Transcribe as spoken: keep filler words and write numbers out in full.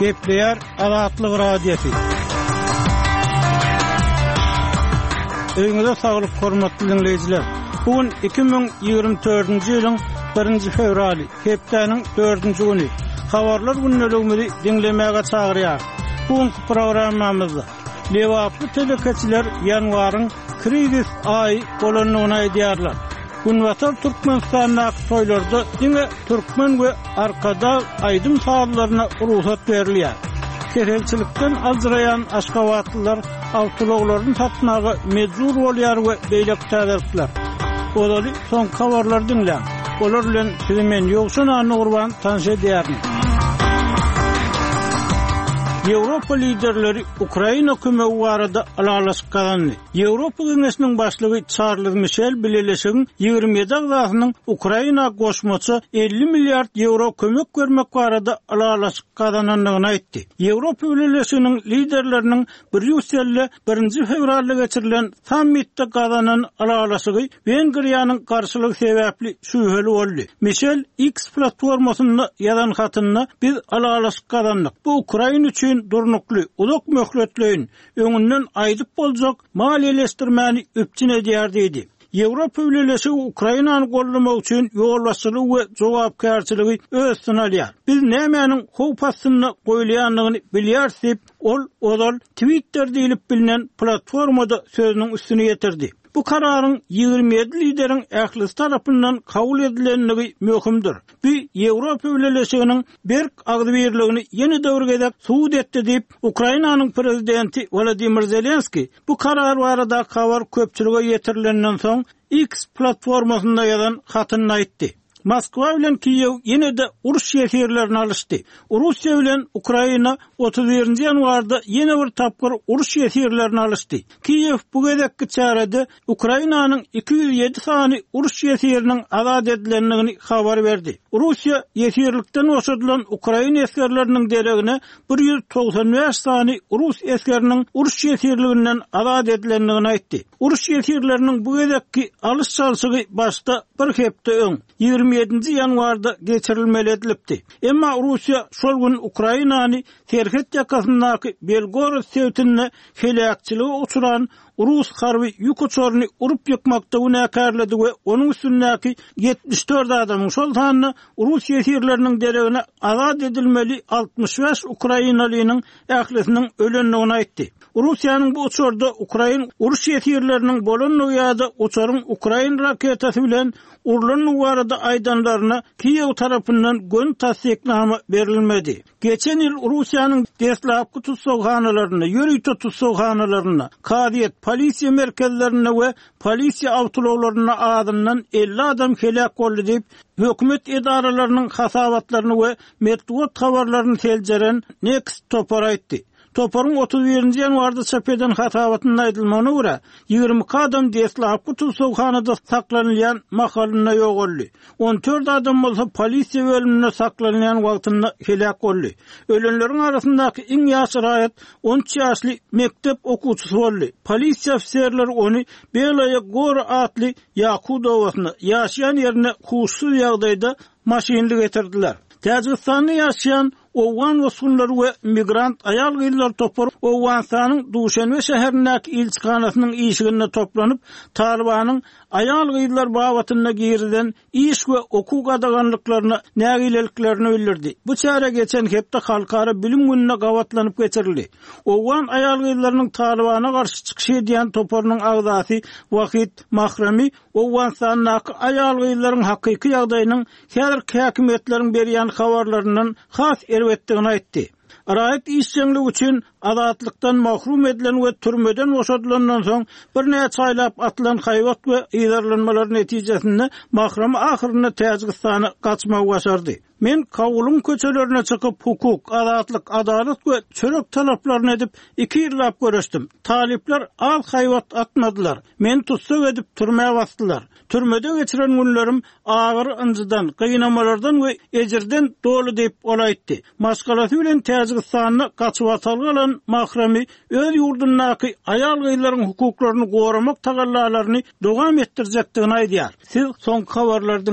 Gepleýär Azatlyk Radiosy. Öýüňize saglyk, hormatly diňleýjiler. Bu gün iki müň ýigrimi dördünji ýylyň birinji fewraly, hepdäniň dördünji güni. Habarlar gündeligimizi diňlemäge çagyrýar. Bu günki programmamyzda Lebaply telekeçiler ýanwaryň krizis aýy bolandygyny aýdýarlar. Günbatar Türkmenistandaky toýlarda diňe türkmen we Arkadag aýdym-sazlaryna rugsat berilýär. Keselçilikden aljyraýan aşgabatlylar awtoulaglaryny satmaga mejbur bolýar we beýleki täzelikler. Ozaly soňky habarlary diňläň. Olar bilen sizi men Ýowşan Annagurban tanyş edýärin. Ýewropa liderleri Ukraina kömegi barada ylalaşyk gazandy. Ýewropa Geňeşiniň başlygy Çarlz Mişel Bileleşigiň ýigrimi ýedi agzasynyň Ukraina goşmaça elli milliard ýewro kömek bermek barada ylalaşyk gazanandygyny aýtdy. Ýewropa Bileleşiginiň liderleriniň Brýusselde birinji fewralda geçirilen sammitde gazanan ylalaşygy Wengriýanyň garşylygy sebäpli şübheli boldy. Mişel X platformasynda ýazan hatynda biz ylalaşyk gazandyk. Bu Ukraina üçin durnukly, uzak möhletleýin, öňünden aýdyp boljak maliýeleşdirmäni üpjün edýär diýdi. Ýewropa Bileleşigi Ukrainany goldamak üçin ýolbaşçylygy we jogapkärçiligi öz üstüne alýar. Biz nämäniň howp astynda goýulýandygyny bilýäris diýip, ol ozal Twitter diýlip bilinen platformada sözüniň üstüni ýetirdi. Bu kararyň ýigrimi ýedi lideriň ählisi tarapyndan kabul edilendigi möhümdir. Bu Ýewropa Bileleşiginiň berk agzybirligini ýene bir gezek subut etdi diýip, Ukrainanyň prezidenti Wladimir Zelenski bu karar barada habar köpçülige ýetirilenden soň X platformasynda ýazan hatynda aýtdy. Moskwa bilen Kiýew ýene-de uruş ýesirlerini alyşdy. Russiýa bilen Ukraina otuz birinji ýanwarda ýene bir tapgyr uruş ýesirlerini alyşdy. Kiýew bu gezekki çärede Ukrainanyň iki ýüz ýedi sany uruş ýesiriniň azat edilendigini habar berdi. Russiýa ýesirlikden boşadylan Ukraina esgerleriniň deregine bir ýüz togsan bäş sany rus esgeriniň uruş ýesirliginden azat edilendigini aýtdy. Uruş ýesirleriniň bu gezekki alyş-çalşygy başda bir hepde öň, ýigrimi ýedinji ýanwarda geçirilmeli edilipdi. Emma Russiýa şol gün Ukrainany serhet ýakasyndaky Belgorod sebitinde heläkçilige uçran Rus harby ýük uçaryny urup ýykmakda günäkärledi we onuň üstündäki ýetmiş dört adamyň, şol sanda Rus ýesirleriniň deregine azat edilmeli altmyş bäş ukrainalynyň ählisiniň ölendigini aýtdy. Russiýanyň bu uçarda ukrain uruş ýesirleriniň bolandygy ýa-da uçaryň ukrain raketasy bilen urlandygy barada aýdanlaryna Kiýew tarapyndan göni tassyknama berilmedi. Geçen ýyl Russiýanyň deslapky tussaghanalarynda, ýörite tussaghanalarynda, kazyýet, polisiýa merkezlerinde we polisiýa awtoulaglarynda azyndan elli adam heläk boldy diýip, hökümet edaralarynyň hasabatlaryny we metbugat habarlaryny seljeren Next topar aýtdy. Toparyň otuz birinji ýanwarda çap eden hasabatynda aýdylmagyna görä, ýigrimi iki adam deslapky tussaghanada saklanylýan mahalynda ýogaldy. On dört adam bolsa polisiýa bölüminde saklanylýan wagtynda heläk boldy. Ölenleriň arasyndaky iň ýaş raýat on üç ýaşly mekdep okuwçysy boldy. Polisiýa ofiserleri ony Belaya Gora atly Ýakut obasyna, ýaşaýan ýerine huşsuz ýagdaýda maşynly getirdiler. Täjigistanda ýaşaýan Owgan bosgunlary we migrant aýal-gyzlar topary Owganystanyň Duşanbe şäherindäki ilçihanasynyň işiginde toplanyp, Talibanyň aýal-gyzlar babatynda girizen iş we okuw gadaganlyklaryna nägileliklerini bildirdi. Bu çäre geçen hepde Halkara bilim gününe gabatlanyp geçirildi. Owgan aýal-gyzlarynyň Talibana garşy çykyş edýän toparynyň agzasy Wahid Mahrami Owganystandaky aýal-gyzlaryň hakyky ýagdaýynyň häzirki häkimiýetleriň berýän habarlaryndan has erbetdigini aýtdy. Raýat işjeňligi üçin azatlykdan mahrum edilen we türmeden boşadylandan soň birnäçe aýlap atylan haýbat we yzarlanmalar netijesinde Mahrami ahyrynda Täjigistana gaçmagy başardy. Men Kabulyň köçelerine çykyp hukuk, azatlyk, adalat we çörek talaplaryny edip iki ýyllap göreşdim. Talyplar az haýbat atmadylar. Meni tussag edip türmä basdylar. Türmede geçiren günlerim agyr ynjydan, gynamalardan we ejirden doly diýip ol aýtdy. Maşgalasy bilen Täjigistanda gaçyp atalga alan Mahrami öz ýurdundaky aýal-gyzlaryň hukuklaryny goramak tagallalaryny dowam etdirjekdigini aýdýar. Siz soňky habarlary diňle.